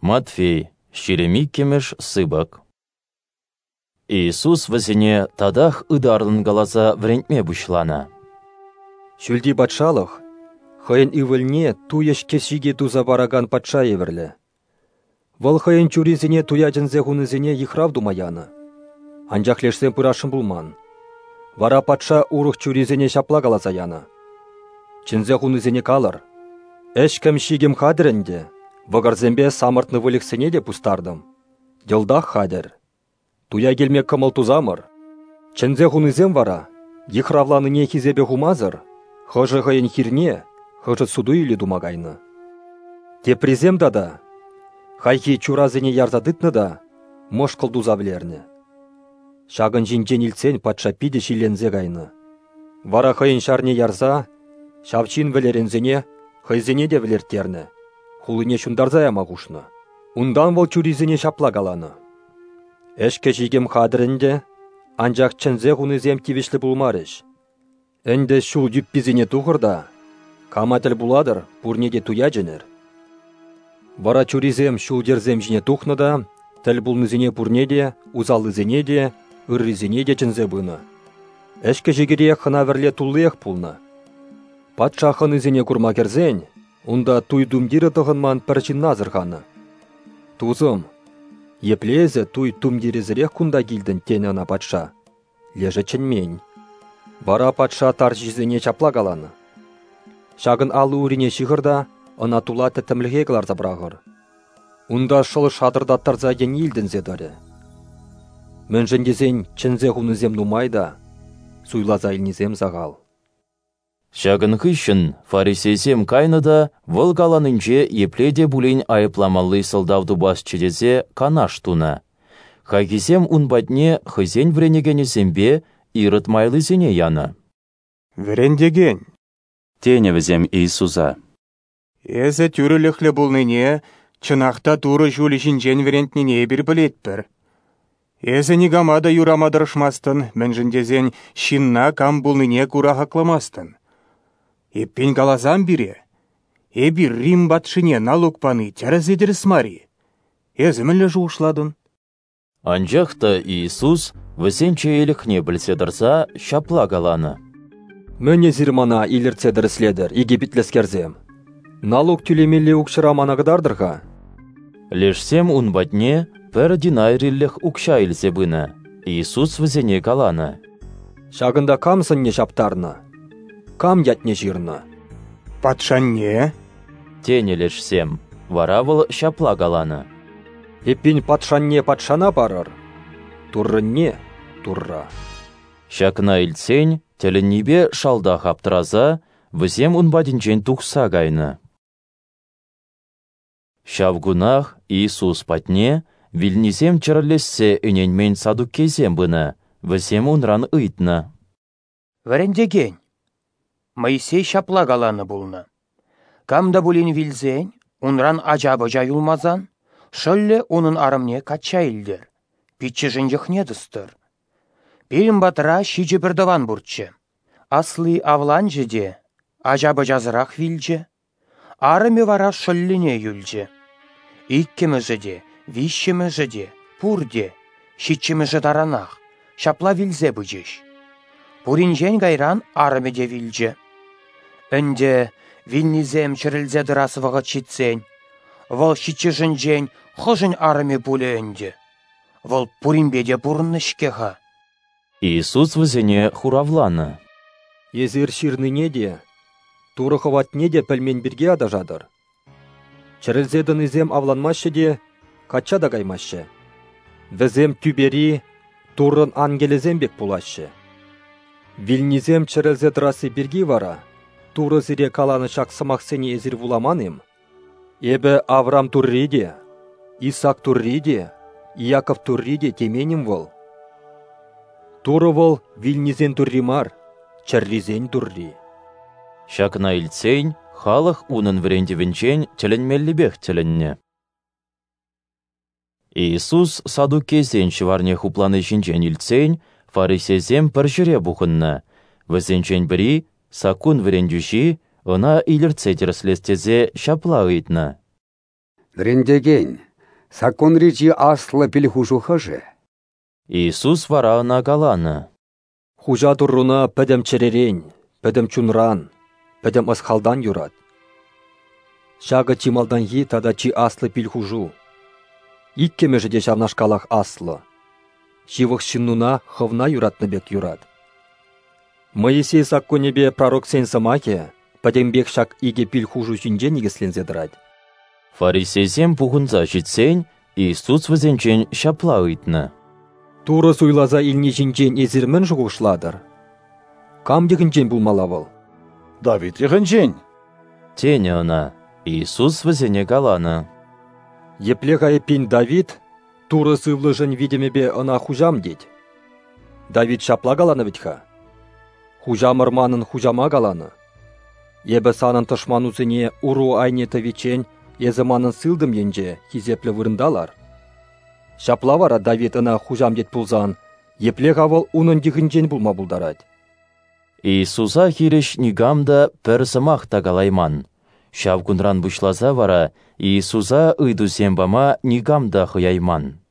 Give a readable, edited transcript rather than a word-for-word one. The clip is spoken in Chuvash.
Матфей, 22-мӗш сыпӑк. Иисус вӗсене татах ытарлӑн каласа вӗрентме пуҫланӑ. Ҫӳлти патшалӑх хӑйӗн ывӑлне туй ӗҫкӗ-ҫикӗ туса паракан патша евӗрлӗ. Вӑл хӑйӗн чурисене туя чӗнсе хунисене йыхрав тума янӑ. Анчах лешсем пырасшӑн пулман. Вара патша урӑх чурисене ҫапла каласа янӑ: «Чӗнсе хунисене калӑр: ӗҫкӗм-ҫикӗм хатӗр ӗнтӗ, вӑкӑрсемпе самӑртнӑ выльӑхсене те пустартӑм. Йӑлтах хатӗр. Туя килме кӑмӑл тусамӑр». Чӗнсе хунисем вара, йыхравланине хисепе хумасӑр, хӑшӗ хӑйӗн хирне, хӑшӗ суту-илӳ тума кайнӑ. Теприсем тата хайхи чурасене ярса тытнӑ та мӑшкӑл туса вӗлернӗ. Ҫакӑн ҫинчен илтсен патша питӗ ҫилленсе кайнӑ. Вара хӑйӗн ҫарне ярса ҫав ҫын вӗлеренсене хӑйсене те вӗлерттернӗ, хулине ҫунтарса яма хушнӑ. Унтан вӑл чурисене ҫапла каланӑ: «Ӗҫкӗ-ҫикӗм хатӗр ӗнтӗ, анчах чӗнсе хунисем тивӗҫлӗ пулмарӗҫ. Ӗнтӗ ҫул юпписене тухӑр та, кама тӗл пулатӑр, пурне те туя чӗнӗр». Вара чурисем ҫул-йӗрсем ҫине тухнӑ та тӗл пулнисене пурне те, усаллисене те, ыррисене те чӗнсе пынӑ. Ӗҫкӗ-ҫикӗре хӑна-вӗрле туллиех пулнӑ. Патша хӑнисене курма кӗрсен, унта туй тумтирӗ тӑхӑнман пӗр ҫынна асӑрханӑ. «Тусӑм, епле эсӗ туй тумтирӗсӗрех кунта килтӗн?» тенӗ ӑна патша. Лешӗ чӗнмен. Вара патша тарҫисене ҫапла каланӑ: «Ҫакӑн алли-урине ҫыхӑр та ӑна тула тӗттӗмлӗхе кӑларса пӑрахӑр. Унта шӑл шатӑртаттарса йӗни илтӗнсе тӑрӗ. Мӗншӗн тесен чӗнсе хунисем нумай та, суйласа илнисем сахал». Ҫакӑн хыҫҫӑн фарисейсем кайнӑ та вӑл каланинче епле те пулин айӑпламалли сӑлтав тупасчӗ тесе канаш тунӑ. Хайхисем ун патне хӑйсен вӗренекенӗсемпе Ирод майлисене янӑ. «Вӗрентекен», тенӗ вӗсем Иисуса. «Эсӗ тӳрӗлӗхлӗ пулнине, чӑнах та Турӑ ҫулӗ ҫинчен вӗрентнине эпир пӗлетпӗр. Эсӗ никама та юрама тӑрӑшмастӑн, мӗншӗн тесен ҫынна кам пулнине кура хакламастӑн. Эппин каласам пире, эпир Рим патшине налук пани тӗрӗс-и тӗрӗс мар-и? Эсӗ мӗнле шухӑшлатӑн?» Анчах та Иисус вӗсен чеелӗхне пӗлсе тӑрса ҫапла каланӑ: «Мӗн эсир мана илӗртсе тӗрӗслетӗр, икӗпитлӗскерсем? Налук тӳлемелли укҫӑра мана кӑтартӑр-ха». Лешсем ун патне пӗр динариллӗх укҫа илсе пынӑ. Иисус вӗсене каланӑ: «Ҫакӑнта кам сӑнне ҫаптарнӑ? Кам ятне ҫырнӑ?» «Патшанне», тенӗ лешсем. Вара вӑл ҫапла каланӑ: «Эппин патшанне патшана парӑр, Туррӑнне Турра». Ҫакна илтсен, тӗлӗннипе шалтах аптӑраса, вӗсем ун патӗнчен тухса кайнӑ. Ҫав кунах Иисус патне вилнисем чӗрӗлессе ӗненмен саддукейсем пынӑ, вӗсем унран ыйтнӑ: «Вӗрентекен, Моисей ҫапла каланӑ пулнӑ: кам та пулин вилсен, унран ача-пӑча юлмасан, шӑллӗ унӑн арӑмне качча илтӗр, пиччӗшӗн йӑхне тӑстӑр. Пирӗн патра 7 пӗртӑван пурччӗ. Асли авланчӗ те ача-пӑчасӑрах вилчӗ. Арӑмӗ вара шӑллӗне юлчӗ. Иккӗмӗшӗ те, виҫҫӗмӗшӗ те, пурте, 7-мӗшӗ таранах, ҫапла вилсе пычӗҫ. Пуринчен кайран арӑмӗ те вилчӗ. Ӗнтӗ вилнисем чӗрӗлсе тӑрас вӑхӑт ҫитсен, вӑл 7-шӗнчен хӑшӗн арӑмӗ пулӗ ӗнтӗ? Вӑл пуринпе те пурӑннӑ-ҫке-ха». Иисус вӗсене хуравланӑ: «Эсир ҫырнине те, Турӑ хӑватне те пӗлмен пирки аташатӑр. Чӗрӗлсе тӑнисем авланмаҫҫӗ те, качча та каймаҫҫӗ. Вӗсем тӳпери Туррӑн ангелӗсем пек пулаҫҫӗ. Вилнисем чӗрӗлсе тӑрасси пирки вара Турӑ сире каланӑ ҫак сӑмахсене эсир вуламан-им? Эпӗ Авраам Турри те, Исаак Турри те, Иаков Турри те темен-им вӑл? Турӑ вӑл вилнисен Турри мар, чӗррисен Турри». Ҫакна илтсен, халӑх унӑн вӗрентӗвӗнчен тӗлӗнмеллипех тӗлӗннӗ. Иисус саддукейсен ҫӑварне хуплани ҫинчен илтсен, фарисейсем пӗр ҫӗре пухӑннӑ. Вӗсенчен пӗри, саккун вӗрентӳҫи, ӑна илӗртсе тӗрӗслес тесе ҫапла ыйтнӑ: «Вӗрентекен, Саккунри чи аслӑ пил-хушу хӑшӗ? Иисус вара ӑна каланӑ: Хуҫа Турруна пӗтӗм чӗререн, пӗтӗм чунран, пӗтӗм ӑс-халтан юрат. Ҫакӑ чи малтанхи тата чи аслӑ пил-хушу. Иккӗмӗшӗ те ҫавнашкалах аслӑ. Ҫывӑх ҫыннуна хӑвна юратнӑ пек юрат. Моисей саккунӗпе пророксен сӑмахӗ пӗтӗмпех ҫак икӗ пил-хушу ҫинче никӗсленсе тӑрать. Фарисейсем пухӑнса ҫитсен Иисус вӗсенчен ҫапла ыйтнӑ: Турӑ суйласа илни ҫинчен эсир мӗн шухӑшлатӑр? Кам йӑхӗнчен пулмалла вӑл? Давид йӑхӗнчен, тенӗ ӑна. Иисус вӗсене каланӑ: Епле-ха эппин Давид Турӑ сывлӑшӗн витӗмӗпе ӑна хуҫам тет? Давид ҫапла каланӑ вӗт-ха: Хуҫамӑр манӑн хуҫама каланӑ: Эпӗ санӑн тӑшманусене уру айне тӑвиччен эсӗ манӑн сылтӑм енче хисеплӗ вырӑнта лар. Ҫапла вара Давид ӑна хуҫам тет пулсан, епле-ха вӑл унӑн йӑхӗнчен пулма пултарать? Иисуса хирӗҫ никам та пӗр сӑмах та калайман. Ҫав кунран пуҫласа вара Иисуса ыйтусем пама никам та хӑяйман.